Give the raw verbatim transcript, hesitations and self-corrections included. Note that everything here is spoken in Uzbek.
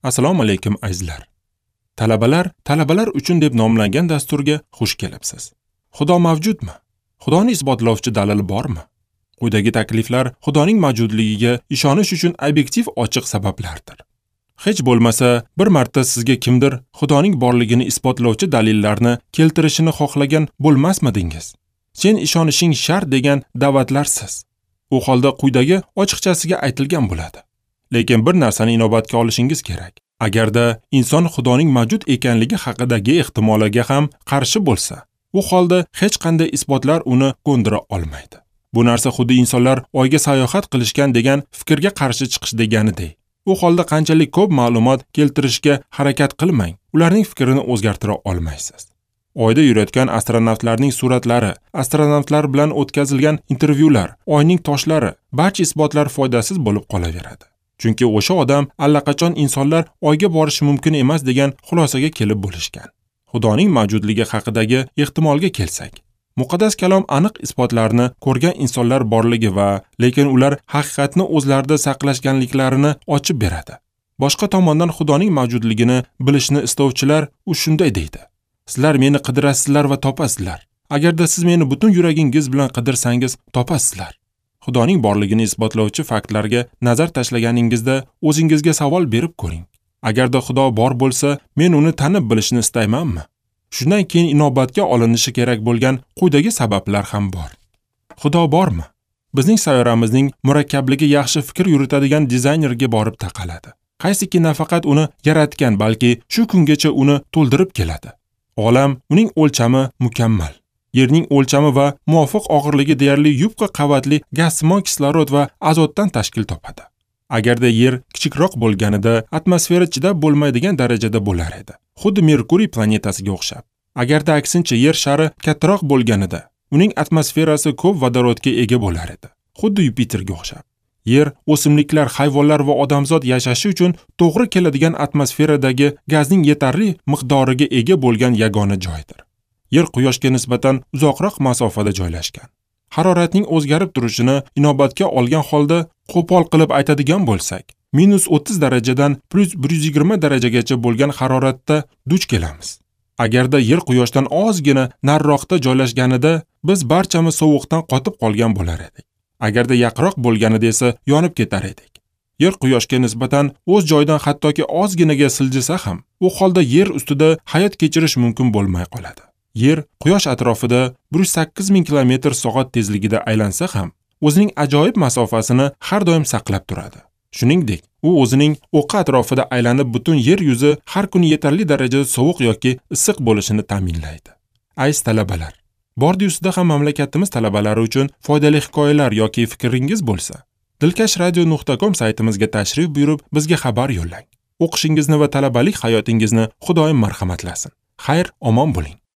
Assalomu alaykum azizlar. Talabalar, talabalar uchun deb nomlangan dasturga xush kelibsiz. Xudo mavjudmi? Xudoni isbotlovchi dalil bormi? Quyidagi takliflar Xudoning mavjudligiga ishonish uchun obyektiv ochiq sabablardir. Hech bo'lmasa, bir marta sizga kimdir Xudoning borligini isbotlovchi dalillarni keltirishini xohlagan bo'lmasmidingiz? Sen ishonishing shart degan da'vatlarsiz. U holda quyidagi ochiqchasiga aytilgan bo'ladi. Lekin bir narsani inobatga olishingiz kerak. Agarda inson Xudoning mavjud ekanligi haqidagi ehtimoliga ham qarshi bo'lsa, u holda hech qanday isbotlar uni ko'ndira olmaydi. Bu narsa xuddi insonlar Oyga sayohat qilishgan degan fikrga qarshi chiqish deganidek. U holda qanchalik ko'p ma'lumot keltirishga harakat qilmang, ularning fikrini o'zgartira olmaysiz. Oyda yurayotgan astronavtlarning suratlari, astronavtlar bilan o'tkazilgan intervyular, Oyning toshlari, barcha isbotlar foydasiz bo'lib qolaveradi. Chunki o'sha odam allaqachon insonlar Oyga borishi mumkin emas degan xulosaga kelib bo'lishgan. Xudoning mavjudligi haqidagi ehtimolga kelsak, muqaddas kalom aniq isbotlarni ko'rgan insonlar borligi va lekin ular haqiqatni o'zlarida saqlashganliklarini ochib beradi. Boshqa tomondan Xudoning mavjudligini bilishni istovchilar u shunday deydi: Sizlar meni qidirasizlar va topasizlar. Agarda siz meni butun yuragingiz bilan qidirsangiz, topasizlar. Xudoning borligini isbotlovchi faktlarga nazar tashlaganingizda o'zingizga savol berib ko'ring. Agarda Xudo bor bo'lsa, men uni tanib bilishni istaymanmi? Shundan keyin inobatga olinishi kerak bo'lgan quyidagi sabablar ham bor. Xudo bormi? Bizning sayyoramizning murakkabligi yaxshi fikr yuritadigan dizaynerga borib taqaladi. Qaysiki nafaqat uni yaratgan, balki shu kungacha uni to'ldirib keladi. Olam, uning o'lchami mukammal. Yerning o'lchami va muvofiq og'irligi deyarli yupqa qavatli gazsimon kislorod va azotdan tashkil topadi. Agarda Yer kichikroq bo'lganida, atmosfera chidab bo'lmaydigan darajada bo'lar edi. Xuddi Merkuriy planetasiga o'xshab. Agarda aksincha Yer shari kattaroq bo'lganida, uning atmosferasi ko'p vodorodga ega bo'lar edi. Xuddi Yupiterga o'xshab. Yer o'simliklar, hayvonlar va odamzod yashashi uchun to'g'ri keladigan atmosferadagi gazning yetarli miqdoriga ega bo'lgan yagona joydir. Yer Quyoshga nisbatan uzoqroq masofada joylashgan. Haroratning o'zgarib turishini inobatga olgan holda qo'pol qilib aytadigan bo'lsak, minus o'ttiz darajadan plus bir yuz yigirma darajagacha bo'lgan haroratda duch kelamiz. Agarda Yer Quyoshdan ozgina nariroqda joylashganida, biz barchamiz sovuqdan qotib qolgan bo'lar edik. Agarda yaqinroq bo'lganida esa yonib ketar edik. Yer Quyoshga nisbatan o'z joyidan hattoki ozginaga siljisa ham, u holda Yer ustida hayot kechirish mumkin bo'lmay qoladi. Yer Quyosh atrofida bir yuz sakkiz ming kilometr soat tezligida aylansa ham, o'zining ajoyib masofasini har doim saqlab turadi. Shuningdek, u o'zining o'qi atrofida aylanib butun yer yuzi har kuni yetarli darajada sovuq yoki issiq bo'lishini ta'minlaydi. Aziz talabalar, bordi ustida ham mamlakatimiz talabalari uchun foydali hikoyalar yoki fikringiz bo'lsa, dilkash radio nuqta com saytimizga tashrif buyurib, bizga xabar yo'llang. O'qishingizni va talabalik hayotingizni Xudoyim marhamatlasin. Xayr, omon bo'ling.